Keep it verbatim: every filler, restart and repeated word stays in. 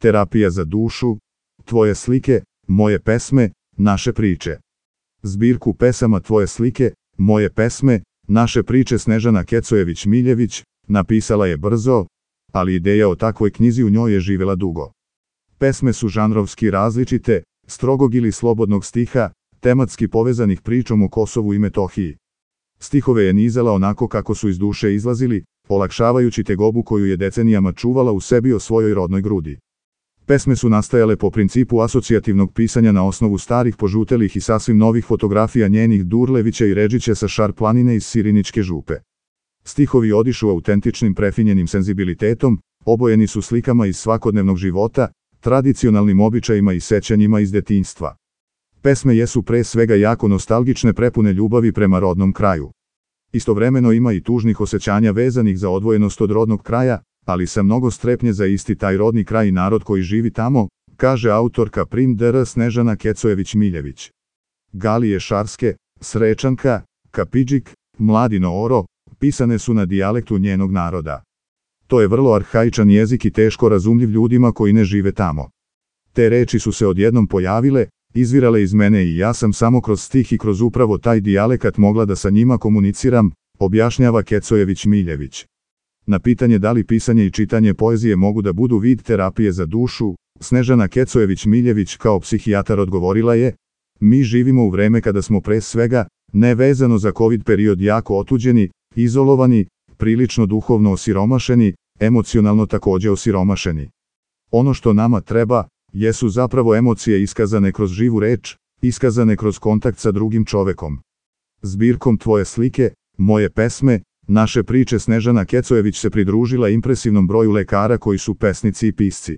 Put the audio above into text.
terapija za dušu, tvoje slike, moje pesme, naše priče. Zbirku pesama Tvoje slike, moje pesme, naše priče Snežana Kecojević-Miljević napisala je brzo, ali ideja o takvoj knjizi u njoj je živela dugo. Pesme su žanrovski različite, strogog ili slobodnog stiha, tematski povezanih pričom o Kosovu i Metohiji. Stihove je nizala onako kako su iz duše izlazili, olakšavajući tegobu koju je decenijama čuvala u sebi o svojoj rodnoj grudi. Pesme su nastajale po principu asocijativnog pisanja na osnovu starih požutelih i sasvim novih fotografija njenih Durlevića i Redžića sa Šar planine iz Siriničke župe. Stihovi odišu autentičnim prefinjenim senzibilitetom, obojeni su slikama iz svakodnevnog života, tradicionalnim običajima i sećanjima iz detinjstva. Pesme jesu pre svega jako nostalgične, prepune ljubavi prema rodnom kraju. Istovremeno ima i tužnih osjećanja vezanih za odvojenost od rodnog kraja, ali sa mnogo strepnje za isti taj rodni kraj i narod koji živi tamo, kaže autorka prim dr Snežana Kecojević-Miljević. Galije Šarske, Srečanka, Kapidžik, Mladino Oro, pisane su na dijalektu njenog naroda. To je vrlo arhaičan jezik i teško razumljiv ljudima koji ne žive tamo. Te reči su se odjednom pojavile, izvirale iz mene i ja sam samo kroz stih i kroz upravo taj dijalekat mogla da sa njima komuniciram, objašnjava Kecojević-Miljević. Na pitanje da li pisanje i čitanje poezije mogu da budu vid terapije za dušu, Snežana Kecojević-Miljević kao psihijatar odgovorila je: mi živimo u vreme kada smo pre svega, nevezano za COVID period, jako otuđeni, izolovani, prilično duhovno osiromašeni, emocionalno takođe osiromašeni. Ono što nama treba, jesu zapravo emocije iskazane kroz živu reč, iskazane kroz kontakt sa drugim čovekom. Zbirkom Tvoje slike, moje pesme, naše priče Snežana Kecojević se pridružila impresivnom broju lekara koji su pesnici i pisci.